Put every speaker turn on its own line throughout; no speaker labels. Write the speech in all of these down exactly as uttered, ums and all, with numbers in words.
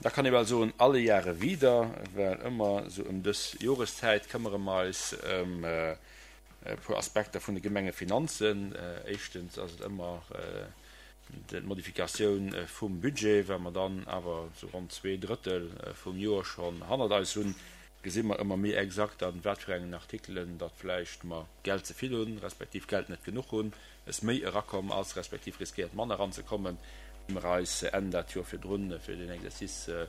Da kann ee bal soen, alle Jahre wieder, well ëmmer esou ëm dës Joreszäit këmmere mer eis ëm e puer Aspekter vun de Gemengefinanzen. Éischtens ass et ëmmer d'Modifikatioun vum Budget, well mer dann awer esou ronn zwee Drëttel vum Joer schonn hannert eis hunn, gesi mer ëmmer méi exakt an wat fir engen Artikelen datt vläicht mer Geld ze vill hunn, respektiv Geld net genuch hunn, es méi erakomm ass, respektiv riskéiert manner eranzekommen, wéi mer eis Enn dat Joer virdrun fir deen Exercice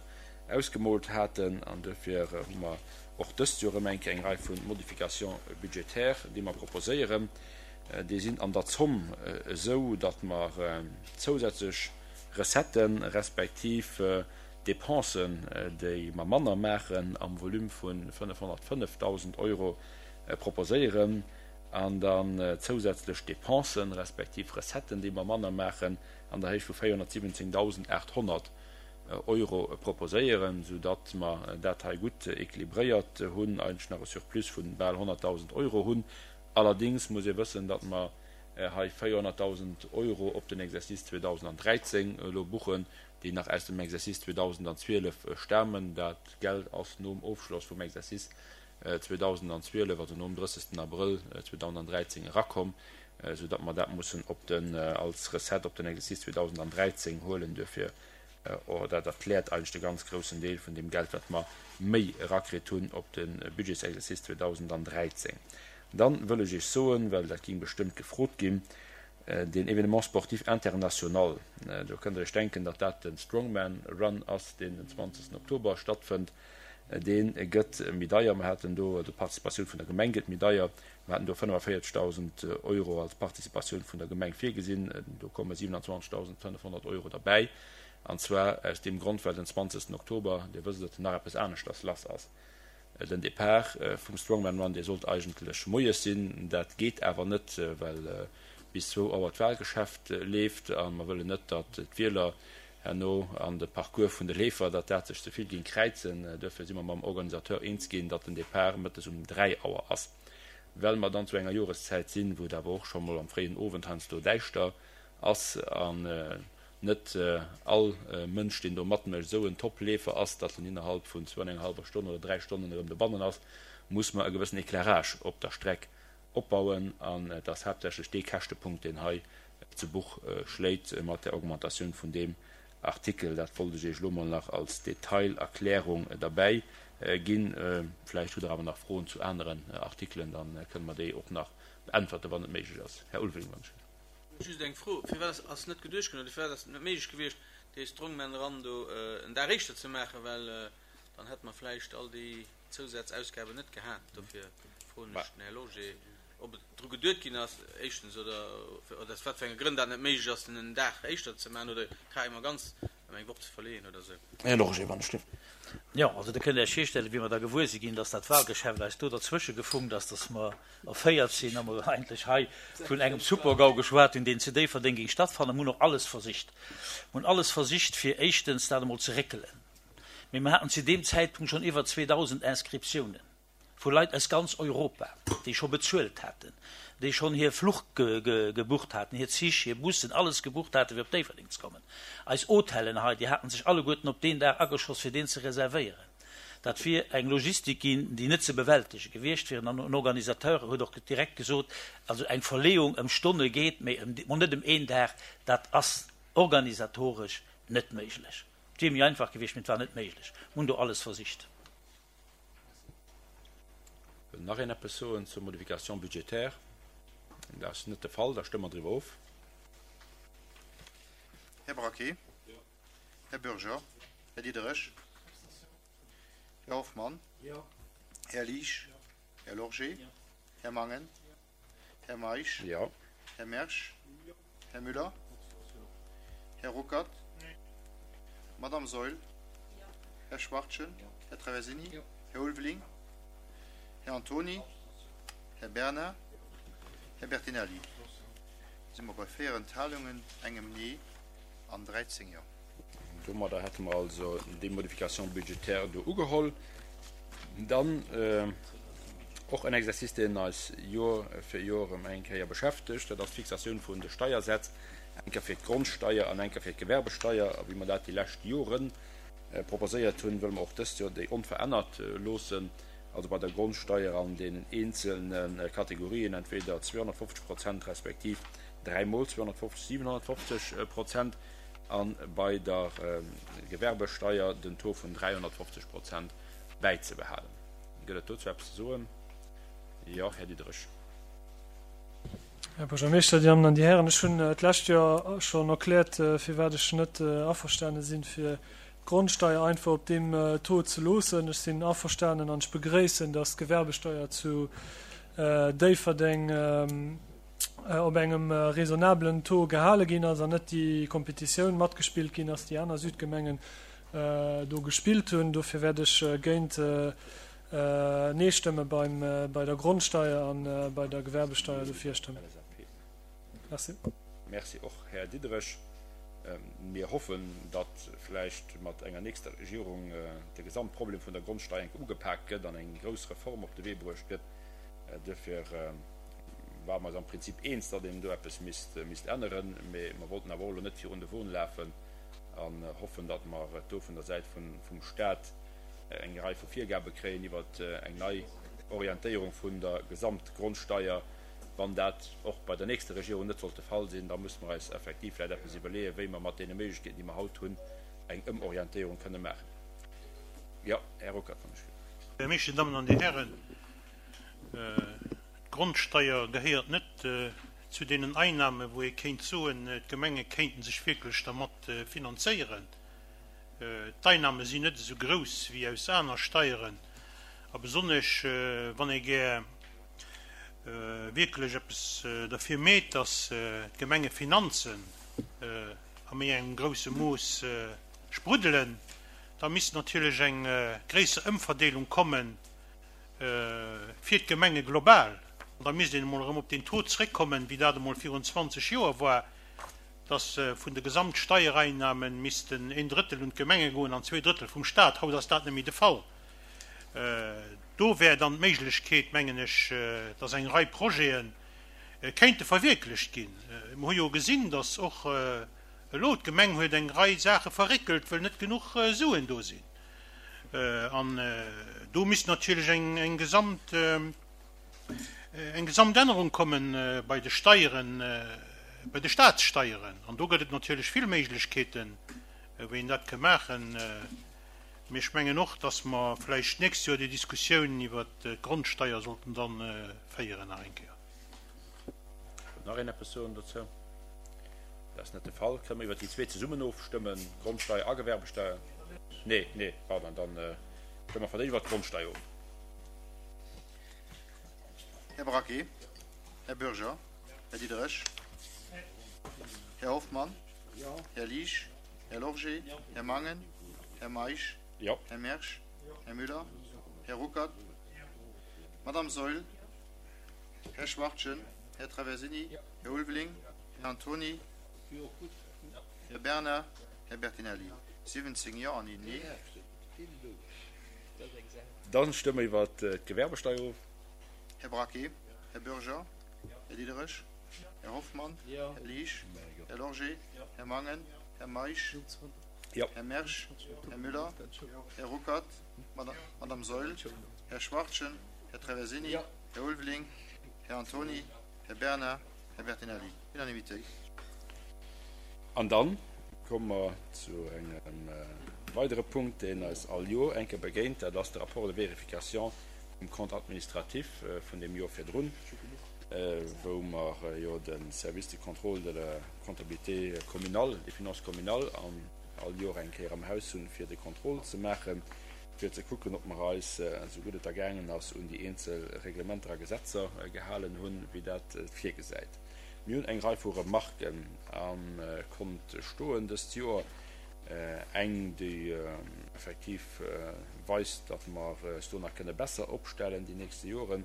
ausgemoolt haten. An duerfir hu mer och dëst Joer erëm eng Kéier eng Rei vu Modifications budgétaires, déi mer proposéieren. Déi sinn an der Zomm esou, datt mer zousätzlech Recetten, respektiv Dépensen, déi mer manner maachen, am Volume vu fënnefhonnertfënnefdausend Euro proposéieren, an dann zousätzlech Dépensen, respektiv Recetten, déi mer manner maachen, an der Héicht vu véierhonnertsiwwenzéngdausendachthonnert Euro proposéieren, soudatt mer dat hei gutt équilibréiert hunn, eigentlech nach e Surplus vu bal honnertdausend Euro hunn. Allerdéngs muss ee wëssen, datt mer hei véierhonnertdausend Euro op den Exercice zweedausendandräizéng elo buchen, déi nach aus dem Exercice zweedausendzwielef stamen. Dat Geld ass nom Ofschloss vum Exercice zweedausendzwielef, also nom drëssegsten Abrëll zweedausendräizéng erakomm, esou datt mer dat mussen op den, als Recette op den Exercice zweedausendräizéng huelen. Duerfir, or dat erkläert eigentlech de ganz groussen Deel vun deem Geld, wat mer méi erakritt hunn op de Budgetsexercice zweedausendräizéng. Dann wëll ech Iech soen, well dat ging bestëmmt gefrot ginn, deen Événement sportif international, do kënnt Der Iech denken, datt dat de Strongman Run ass, deen den zwanzegsten Oktober stattfënnt, dee gëtt méi deier. Mer haten do, also d'Participatioun vun der Gemeng gëtt méi deier, mer haten do fënnefavéierzegdausend Euro als Participatioun vun der Gemeng virgesinn, do komme siewenundzwanzegdausendfënnefhonnert Euro derbäi, an zwar aus deem Grond, well den zwanzegsten Oktober, Dir wësst et, nach eppes aneschters lass ass. Den Depart vum Strongman Run, dee sollt eigentlech moies sinn. Dat geet awer net, well bis zwou Auer d'Wahlgeschäft leeft a mer wëllen net, datt d'Wieler herno an de Parcours vun de Leefer, datt dat sech ze vill géing kräizen. Duerfir si mer mam Organisateur eens ginn, datt den Depart mëttes um dräi Auer ass. Well mer dann zu enger Joreszäit sinn, wou et awer och scho mol am fréien Owend heiansdo däischter ass an net all Mënsch, deen do matmécht, esou en Top-Leefer ass, datt en innerhalb vun zwou an enger hallwer Stonn oder dräi Stonnen erëm dobannen ass, muss mer e gewëssen Éclairage op der Streck opbauen. An et ass haaptsächlech dee Käschtepunkt, deen hei zu Buch schléit mat der Augmentatioun vun deem Artikel. Dat wollt ech Iech elo mol nach als Detailerklärung derbäi ginn. Vläicht hutt Der awer nach Froen zu aneren Artikelen, da kënne mer déi och nach beäntwerten, wann et méiglech ass. Här Ulveling, wann ech.
Just eng Fro, Firwat ass net geduecht ginn, oder firwat ass et net méiglech gewiescht, dee Strongman Run do en Dag éischter ze maachen, well dann hätte mer vläicht all déi Zousazausgaben net gehat. Dofir froen ech den Här Lorsché, ob et dru geduet ginn ass, éischtens, oder aus wat fir enge Grënn dat net méiglech ass, den en Dag éischter ze maachen oder carrément ganz ëm eng Woch ze verleeën oder esou.
Här Lorsché, wann ech dierf.
Jo, also do kënnt Der Iech virstellen, wéi mer da gewuer si ginn, dass dat Wahlgeschäft eis do derzwësche gefunkt ass, dass mer erféiert sinn a mer eigentlech hei vun engem Supergau geschwat hunn, deen zu Déifferdeng géing stattfannen. Mer hunn och alles versicht, mer hunn alles versicht, fir éischtens dat emol ze réckelen, mee mer haten zu deem Zäitpunkt schonn iwwer zweedausend Inscriptiounen vu Leit aus ganz Europa, déi scho bezuelt haten, déi schonn hir Fluch gebucht haten, hir Zich, hir Bussen, alles gebucht haten, fir op Déifferdeng ze kommen. Eis Hotellen hei, déi haten sech alleguerten op deen Dag ageschoss, fir deen ze reservéieren. Dat wier eng Logistik ginn, déi net ze bewältege gewiescht wier. An en Organisateur huet och direkt gesot, also eng Verleeung ëm Stonne geet, mee ëm, net ëm een Dag, dat ass organisatoresch net méiglech. Et wier méi einfach gewiescht, mee et war net méiglech. Mir hunn do alles versicht.
Wëll nach een eppes soen zur Modification budgétaire? Dat ass net de Fall, da stëmme mer driwwer of.
Här Braquet? Här Bürger? Här Diderich? Här Hoffmann? Här Liesch? Här Lorgé? Här Mangen? Här Meisch?
Jo.
Här Mersch? Här Müller? Här Ruckert? Madame Saeul? Här Schwachtgen? Här Traversini? Här Ulveling? Här Antoni? Här Bernard? Här Bertinelli? Da si mer bei véier Enthalungen, engem Nee an dräizéng Jo.
Domadder hätte mer also déi Modification budgétaire do ugeholl. Dann och en Exercice, deen eis Jor fir Jor erëm eng Kéier beschäftegt, dat ass d'Fixatioun vun de Steiersätz, eng Kéier fir d'Grondsteier an eng Kéier fir d'Gewerbesteier. A wéi mer dat déi lescht Joren proposéiert hunn, wëlle mer och dëst Joer déi onverännert loossen, also bei der Grondsteier an deenen eenzelne Kategorien entweder zweehonnertfofzeg Prozent respektiv dräimol zweehonnertfofzeg, siwenhonnertfofzeg Prozent, a bei der Gewerbesteier den Taux vun dräihonnertfofzeg Prozent bäizebehalen. Gëtt et dozou eppes ze soen? Jo, Här Diderich.
Här Buergermeeschter, Dir Dammen an Dir Hären, ech hunn d'lescht Joer schonn erkläert, firwat ech net averstane sinn, fir d'Grondsteier einfach op deem Taux ze loossen. Ech sinn averstanen an ech begréissen, dass d'Gewerbesteier zu Déifferdeng op engem raisonnablen Taux gehale ginn ass an net déi Kompetitioun matgespillt ginn ass, déi aner Südgemengen do gespillt hunn. Dofir wäert ech géint Nee stëmme beim, bei der Grondsteier a bei der Gewerbesteier dofir stëmmen. Merci.
Merci och, Här Diderich. Mir hoffen, datt vläicht mat enger nächster Regierung de Gesamtproblem vun der Grondsteier enk ugepaakt gëtt an eng grouss Reform op de Wee bruecht gëtt. Duerfir ware mer eis am Prinzip eens, datt een do eppes misst, misst änneren. Mee mer wollten awer och elo net virun de Won lafen an hoffen, datt mer et do vun der Säit vun, vum Stat eng Rei vu Virgabe kréien iwwer eng nei Orientéierung vun der Gesamtgrondsteier. Wann dat och bei der nächster Regierung net sollt de Fall sinn, da musse mer eis effektiv vläicht eppes iwwerleeën, wéi mer mat deene Méiglechkeeten, déi mer haut hunn, eng Ëmorientéierung kënne maachen. Jo, Här Ruckert, wann ech.
Här Meisch, Dir Dammen an Dir Hären, d'Grondsteier gehéiert net zu deenen Einnahmen, wou ee kéint soen, d'Gemenge kéinte sech wierklech dermat finanzéieren. D'Einnahme sinn net esou grouss wéi aus aner Steieren, a besonnesch wann ee gär wierklech eppes derfir meet, datt d'Gemengefinanzen a méi engem grousse Mooss spruddelen, da misst natierlech eng gréisser Ëmverdeelung komme fir d'Gemenge global. An da misst een emol erëm op deen Taux zréckkommen, wéi dat emol virun zwanzeg Joer war, dass vun de Gesamtsteiereinnahmen missten een Drëttel un d'Gemenge goen an zwee Drëttel vum Stat. Haut ass dat net méi de Fall. Do wär dann d'Méiglechkeet, mengen ech, dass eng Rei Projete kéinte verwierklecht ginn. Mer hu jo gesinn, dass och elo d'Gemeng huet eng Rei Saache verréckelt, wëll net genuch Suen do sinn. An do misst natierlech eng Gesamt, eng Gesamtännerung komme bei de Steieren, bei de Statssteieren. An do gëtt et natierlech vill Méiglechkeeten, wéi een dat ka maachen. Mee ech mengen och, dass mer vläicht d'nächst Joer déi Diskussioun iwwert d'Grondsteier sollten da féieren nach eng Kéier.
Wëllt nach een eppes soen dozou? Dat ass net de Fall. Kënne mer iwwert déi zwee zesummen ofstëmmen, Grondsteier a Gewerbesteier? Nee, nee, pardon, dann stëmme mer fir d'éischt iwwert d'Grondsteier of.
Här Braquet, Här Bürger, Här Diderich, Här Hoffmann, Här Liesch, Här Lorgé, Här Mangen, Här Meisch, Här Mersch, Här Müller, Här Ruckert, Madame Saeul, Här Schwachtgen, Här Traversini, Här Ulveling, Här Antony, Här Bernard, Här Bertinelli. siwwenzéng Jo an een Nee.
Dann stëmme mer iwwert d'Gewerbesteier of.
Här Braquet, Här Bürger, Här Diderich, Här Hoffmann, Här Liesch, Här Lorgé, Här Mangen, Här Meisch, Här Mersch, Här Müller, Här Ruckert, Madame Saeul, Här Schwachtgen, Här Traversini, Här Ulveling, Här Antony, Här Bernard, Här Bertinelli. Unanimitéit.
An dann komme mer zu engem weidere Punkt, deen eis all Joer eng Kéier begéint, dat ass de Rapport de vérification vum Compte administratif vun deem Joer virdrun, wou mer jo de Service de contrôle de la comptabilité communale, des finances communales all Joer eng Kéier am Haus hunn, fir de Contrôle ze maachen, fir ze kucken, ob mer eis, esou gutt et da gaangen ass, un déi eenzel Reglementer a Gesetzer gehalen hunn, wéi dat et virgesäit. Mir hunn eng Rei vu Remarken am Kont stoen dëst Joer. Eng, déi effektiv weist, datt mer eis do nach kënne besser opstellen déi nächste Joren,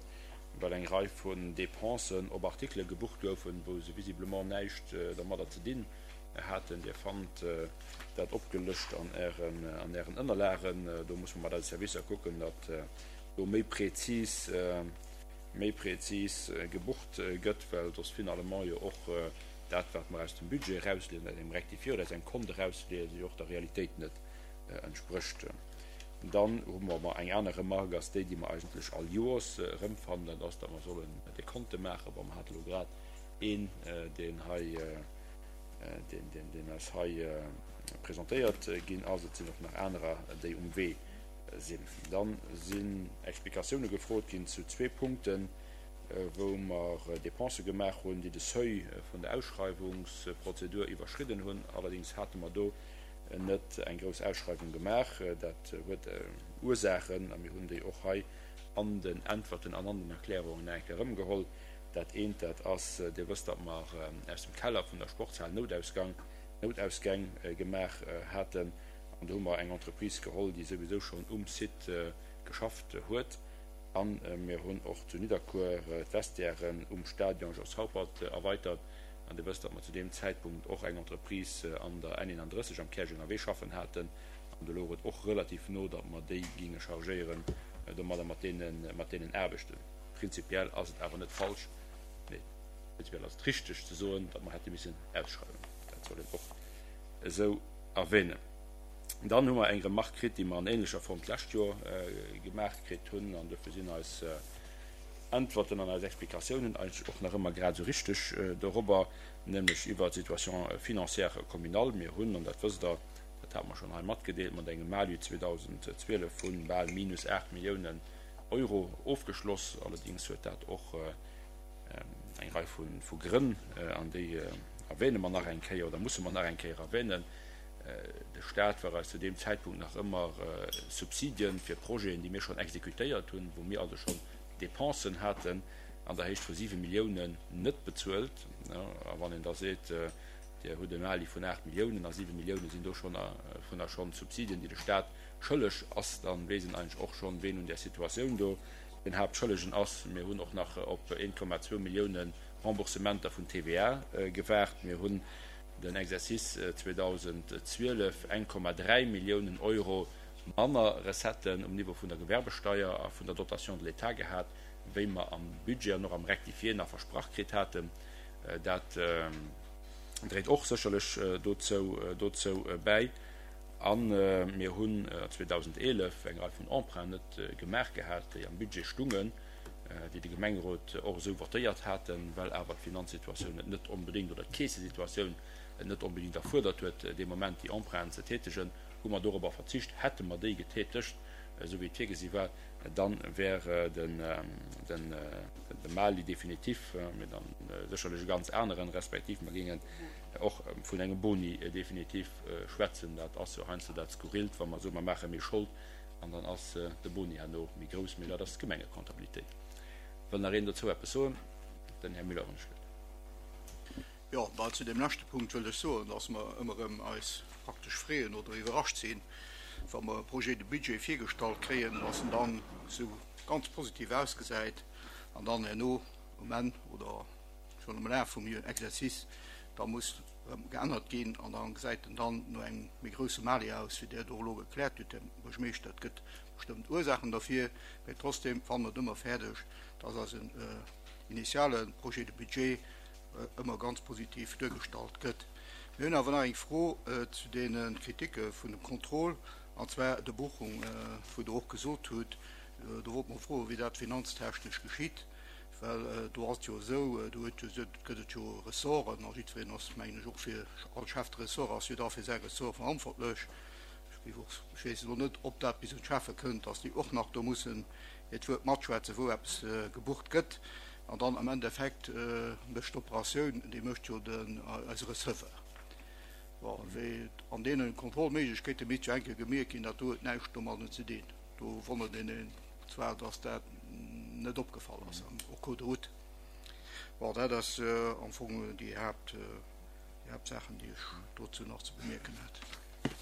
well eng Rei vun Dépensen op Artikele gebucht goufen, wou se visiblement näischt dermadder ze dinn haten. Dir fannt dat opgelëscht an Ären, an Ären Ënnerlagen. Do musse mer mat eise Servicer kucken, datt do méi prezis, méi prezis gebucht gëtt, well soss finalement jo och dat, wat mer aus dem Budget erausleeën, aus engem Rectifié oder aus engem Kont erausleeën, jo och der Realitéit net entsprécht. Dann hu mer mer eng aner Remarque, ass déi, déi mer eigentlech all Joers erëmfannen, dat ass, datt mer sollen Dekonte maachen. Bon, mer hate elo grad een, deen hei, deen, deen, deen eis hei presentéiert ginn ass. Et sinn och nach anerer, déi um Wee sinn. Dann sinn Explikatioune gefrot ginn zu zwee Punkten, wou mer Dépensë gemaach hunn, déi de Seuil vun der Ausschreiwungsprozedur iwwerschridden hunn. Allerdéngs hate mer do net eng grouss Ausschreiwung gemaach. Dat huet Ursaachen, a mir hunn déi och hei an den Äntwerten an an den Erklärungen nach eng Kéier erëmgeholl. Dat eent, dat ass, Dir wësst, datt mer aus dem Keller vun der Sportshal Noutausgang, Noutausgäng gemaach haten. An do hu mer eng Entreprise geholl, déi souwisou schonn um Site geschafft huet. A mir hunn och zu Nidderkuer d'Vestiairen um Stadion Jos Haupert erweitert. An Dir wësst, datt mer zu deem Zäitpunkt och eng Entreprise an der N eenanddrësseg am Käerjenger Wee schaffen haten. An do louch et och relativ no, datt mer déi géinge chargéieren domadder mat deene, mat deenen Aarbechten. Prinzipiell ass et awer net falsch, nee, prinzipiell ass et richteg ze soen, datt mer hätte missen ausschreiwen. Dat soll een och esou erwähnen. Dann hu mer eng Remark kritt, déi mer an ähnlecher Form d'lescht Joer gemaach kritt hunn, an dofir sinn eis Äntwerten an eis Explikatiounen eigentlech och nach ëmmer grad esou richteg dorobber, nämlech iwwert d'Situation financière communale. Mir hunn, an dat wësst Der, dat hate mer schonn hei matgedeelt, mat engem Malu zweedausendzwielef vu bal minus aacht Milliounen Euro ofgeschloss. Allerdéngs huet dat och eng Rei vu Grënn, an déi erwähne mer nach eng Kéier oder musse mer nach eng Kéier erwähnen. De Stat war eis zu deem Zäitpunkt nach ëmmer Subsidien fir Projeten, déi mir schonn exekutéiert hunn, wou mir also schonn Dépensen haten an der Héicht vu siwe Milliounen, net bezuelt. A wann een da seet, Dir hutt e Mali vun aacht Milliounen a siwe Milliounen sinn do schonn vunner schonn Subsidien, déi de Stat schëlleg ass, da weess een eigentlech och schonn, ween un där Situatioun do den Haaptschëllegen ass. Mir hunn och nach op een Komma zwou Millioune Remboursementer vun T V A gewaart. Mir hunn den Exercice zweedausendzwielef eng Komma dräi Milliounen Euro manner Recetten um Niveau vun der Gewerbesteier a vun der Dotation de l'État gehat, wéi mer am Budget an och am Rectifié nach versprach kritt haten. Dat dréit och sécherlech dozou dozou bäi. A mir hunn zweedausendeelef eng Rei vun Emprunten net gemaach gehat, déi am Budget stungen, déi de Gemengerot och esou votéiert haten, well awer d'Finanzsituatioun et net onbedéngt oder d'Keesesituatioun et net onbedéngt erfuerdert huet, dee Moment déi Emprunten ze tätegen, hu mer dorobber verzicht. Hätte mer déi getätegt, esou wéi et virgesi war, da wär de Mali definitif, mee dann sécherlech e ganz aneren, respektiv mer géingen och vun engem Boni definitif schwätzen. Dat ass jo heiansdo dat Skurrilt, wa mer soen, mer maache méi Schold an dann ass de Boni herno méi grouss, mee dat ass d'Gemengekontabilitéit. Wëll nach een dozou eppes soen? Den Här Müller, wann ech gëtt.
Jo, bah, zu deem leschte Punkt wëll ech soen, dass mer ëmmer erëm eis praktesch freeën oder iwwerrascht sinn, wa mer e Projet de budget virgestallt kréien, dass en dann esou ganz positiv ausgesäit an dann herno um Enn oder schonn am Laf vum Exercice da muss erëm geännert ginn an da gesäit en dann no engem méi grousse Mali aus, wéi Der et och elo gekläert hutt, Här Buergermeeschter. Et gëtt bestëmmt Ursaachen derfir, mä trotzdem fanne mer et ëmmer fäerdeg, dass eisen initiale Projet de budget ëmmer ganz positiv duergestallt gëtt. Mir hunn awer nach eng Fro zu deene Kritike vun dem Contrôle, an zwar der Buchung, wou Der och gesot hutt, do wollte mer froen, wéi dat finanztechnesch geschitt, well do ass et jo esou, do huet jo, gëtt et jo Ressorten a jiddwereen ass, mengen ech, och fir, all Chef de ressort ass jo da fir säi Ressort verantwortlech. Ech géif och, ech weess elo net, ob dat bis un d'Schäffe kënnt, dass déi och nach do mussen hiert Wuert matschwätzen, wou eppes gebucht gëtt. An dann am Endeffekt mécht d'Operatioun, déi mécht jo den, eise Receveur. Bon, wéi an deene Kontrollméiglechkeete misst jo eng Kéier gemierkt ginn, dat do huet näischt domadden ze dinn. Do wonnert een een zwar, dass dat net opgefall ass am au cours de route. Bon, dat ass am Fong déi Haapt, déi Haaptsaachen, déi ech dozou nach ze bemierken hätt.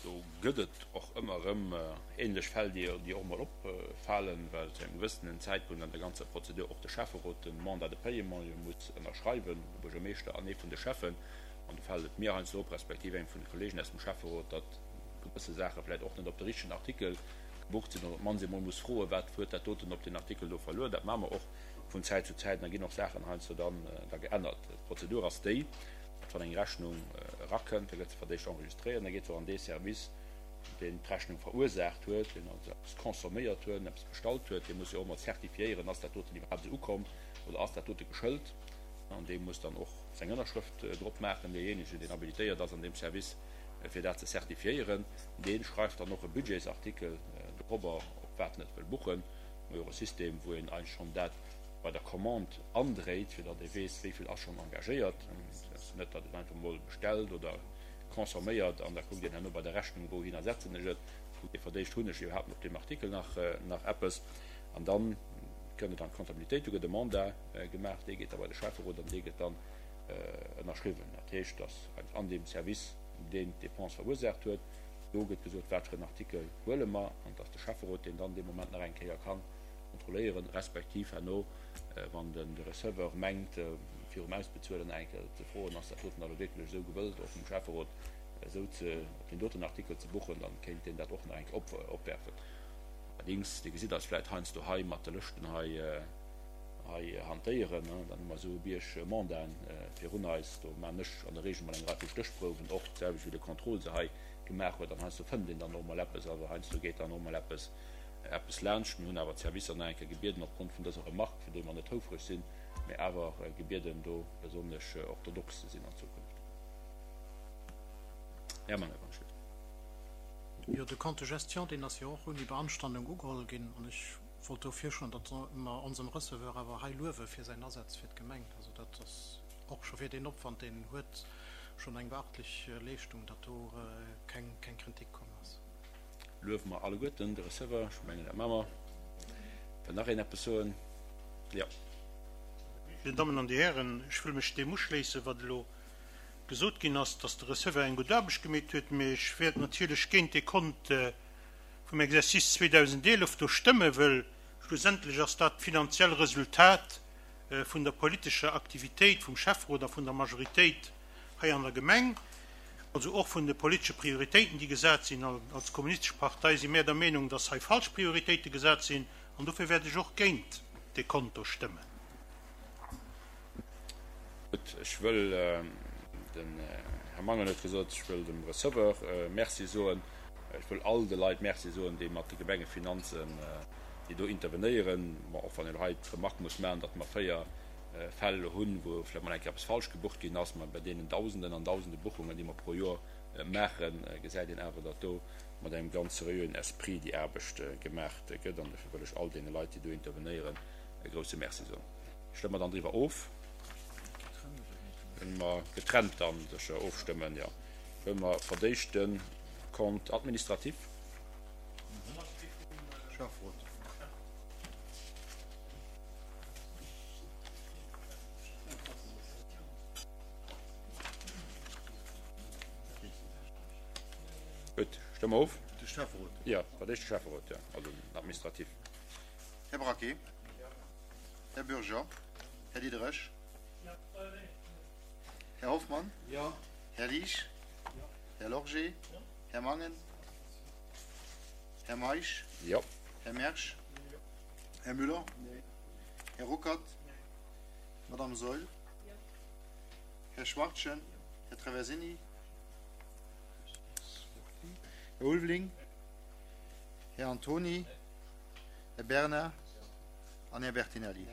Do gëtt et och ëmmer erëm ähnlech Fäll, déi och emol opfalen, well zu engem gewëssenen Zäitpunkt an der ganzer Prozedur och de Schäfferot de Mandat de paiement jo muss ënnerschreiwen, de Buergermeeschter an ee vun de Schäffen. An do fält et mir heiansdo op, respektiv engem vun de Kollegen aus dem Schäfferot, datt gewësse Saache vläicht och net op de richtegen Artikel gebucht sinn oder op d'mannst ee mol muss froen, wat huet dat doten op deen Artikel do verluer. Dat maache mer och vun Zäit zu Zäit an da ginn och Saachen heiansdo dann da geännert. D'Prozedur ass déi, datt wann eng Rechnung erakënnt, da gëtt se fir d'éischt enregistréiert an da geet se och an dee Service deen d'Rechnung verursaacht huet, deen also eppes consomméiert huet, eppes bestallt huet, dee muss jo och emol zertifiéieren, ass dat doten iwwerhaapt esou ukomm oder ass dat dote geschëlt. An dee muss dann och seng Ënnerschrëft drop maachen. Deejéinegen, deen habilitéiert ass an deem Service, fir dat ze zertifiéieren, dee schreift dann och e Budgetsartikel dorobber, op wat en et wëll buchen. Mir hu jo och e System, wou een eigentlech schonn dat bei der Commande andréit, fir datt ee weess, wéi vill ass schonn engagéiert. Et ass net, datt een einfach emol bestellt oder consomméiert an da kuckt een herno bei der Rechnung, wouhinner setzen ech et, kuckt ee verdéischt, hunn ech iwwerhaapt op deem Artikel nach nach eppes. An da kënnt et an d'Comptabilitéit, do gëtt e Mandat gemaach, dee geet da bei de Schäfferot an dee gëtt dann ënnerschriwwen. Dat heescht, datt an deem Service, deen d'Dépense verursaacht huet, do gëtt gesot, wat fir en Artikel huele mer, an et ass de Schäfferot, deen dann dee Moment nach eng Kéier ka kontrolléieren, respektiv herno, wann de Receveur mengt, virum Ausbezuelen eng Kéier ze froen, ass dat doten da lo wierklech esou gewëllt, och vum Schäfferot esou ze, op deen doten Artikel ze buchen, dann kéint deen dat och nach eng Kéier opwerfen. Allerdings, Dir gesitt eis vläicht heiansdo hei mat de Lëschten hei, hei hantéieren, dann hu mer esou e Bierg Mandaten virun eis. Do maan ech an der Regel mol eng Rei vu Stéchprouwen, och d'selwecht wéi de Contrôle se hei gemaach huet. An heiansdo fënnt een dann och mol eppes, awer heiansdo geet dann och mol eppes, eppes laanscht. Mir hunn awer d'Servicer nach eng Kéier gebieden, opgrond vun dëser Remarque, fir déi mer net houfreg sinn, mä awer gebieden, do besonnesch orthodox ze sinn an Zukunft. Här Mangen, wann ech wëll.
Jo, de Compte de gestion, deen ass jo och ouni Beanstandung ugeholl ginn. An ech wollt do virschloen, datt mer onsem Receveur awer hei luewe fir säin Asaz fir d'Gemeng. Also dat ass och scho fir deen Opwand, deen en huet, schonn eng beachtlech Leeschtung, datt do keng Kritik komm ass.
Luewe mer alleguerten de Receveur. Ech mengen, dat maache mer. Wëll nach een eppes soen? Jo.
Dir Dammen an Dir Hären, ech wëll mech deem uschléissen, wat elo gesot ginn ass, dass de Receveur eng gutt Aarbecht gemeet huet. Mee ech wäert natierlech géint dee Kont vum Exercice zweedausendeelef do stëmmen, wëll schlussendlech ass dat d'finanziell Resultat vun der politescher Aktivitéit vum Schäfferot a vun der Majoritéit hei an der Gemeng, also och vun de politesche Prioritéiten, déi gesat sinn. Als Kommunistesch Partei si mär der Meenung, dass hei falsch Prioritéite gesat sinn, an dofir wäert ech och géint dee Konto stëmmen.
Gutt, ech wëll, den Här Mangen huet gesot, ech wëll dem Receveur Merci soen. Ech wëll all de Leit Merci soen, déi mat de Gemengefinanzen, déi do intervenéieren. Bon, och wann een elo hei d'Remarque muss maachen, datt mer véier Fäll elo hunn, wou vläicht mol eng Kéier eppes falsch gebucht ginn ass, mä bei deenen Dausenden an Dausende Buchungen, déi mer pro Joer maachen, gesäit een awer, datt do mat engem ganz seriöen Esprit déi Aarbecht gemaach gëtt. An dofir wëll ech all deene Leit, déi do intervenéieren, e grouse Merci soen. Stëmme mer dann driwwer of? Kënne mer getrennt dann sécher ofstëmmen? Jo. Wëlle mer verdéischt de Compte administratif?
Schäfferot.
Gutt, stëmme mer of.
De Schäfferot.
Jo, dat éischt de Schäfferot, jo, also den Administratif.
Här Braquet. Här Bürger. Här Diderich. Här Hoffmann. Här Liesch. Här Lorgé. Här Mangen. Här Meisch. Här Mersch. Här Müller. Här Ruckert. Madame Saeul. Här Schwartchen. Här Traversini. Här Ulveling. Här Antony. Här Bernard an Här Bertinelli.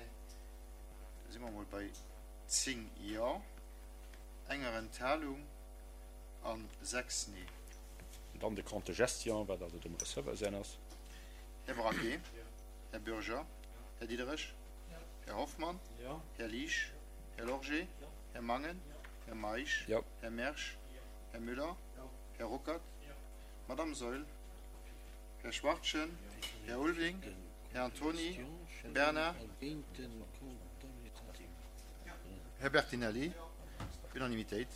Da si mer emol bei zéng Jo, enger Enthalung a sechs Nee.
Dann de Compte de gestion, wat also dem Receveur säin ass.
Här Braquet. Här Bürger. Här Diderich. Här Hoffmann. Här Liesch. Här Lorgé. Här Mangen. Här Meisch. Här Mersch. Här Müller. Här Ruckert. Madame Saeul. Här Schwartchen. Här Ulveling. Här Antony. Här Bernard. Här Bertinelli. Unanimitéit.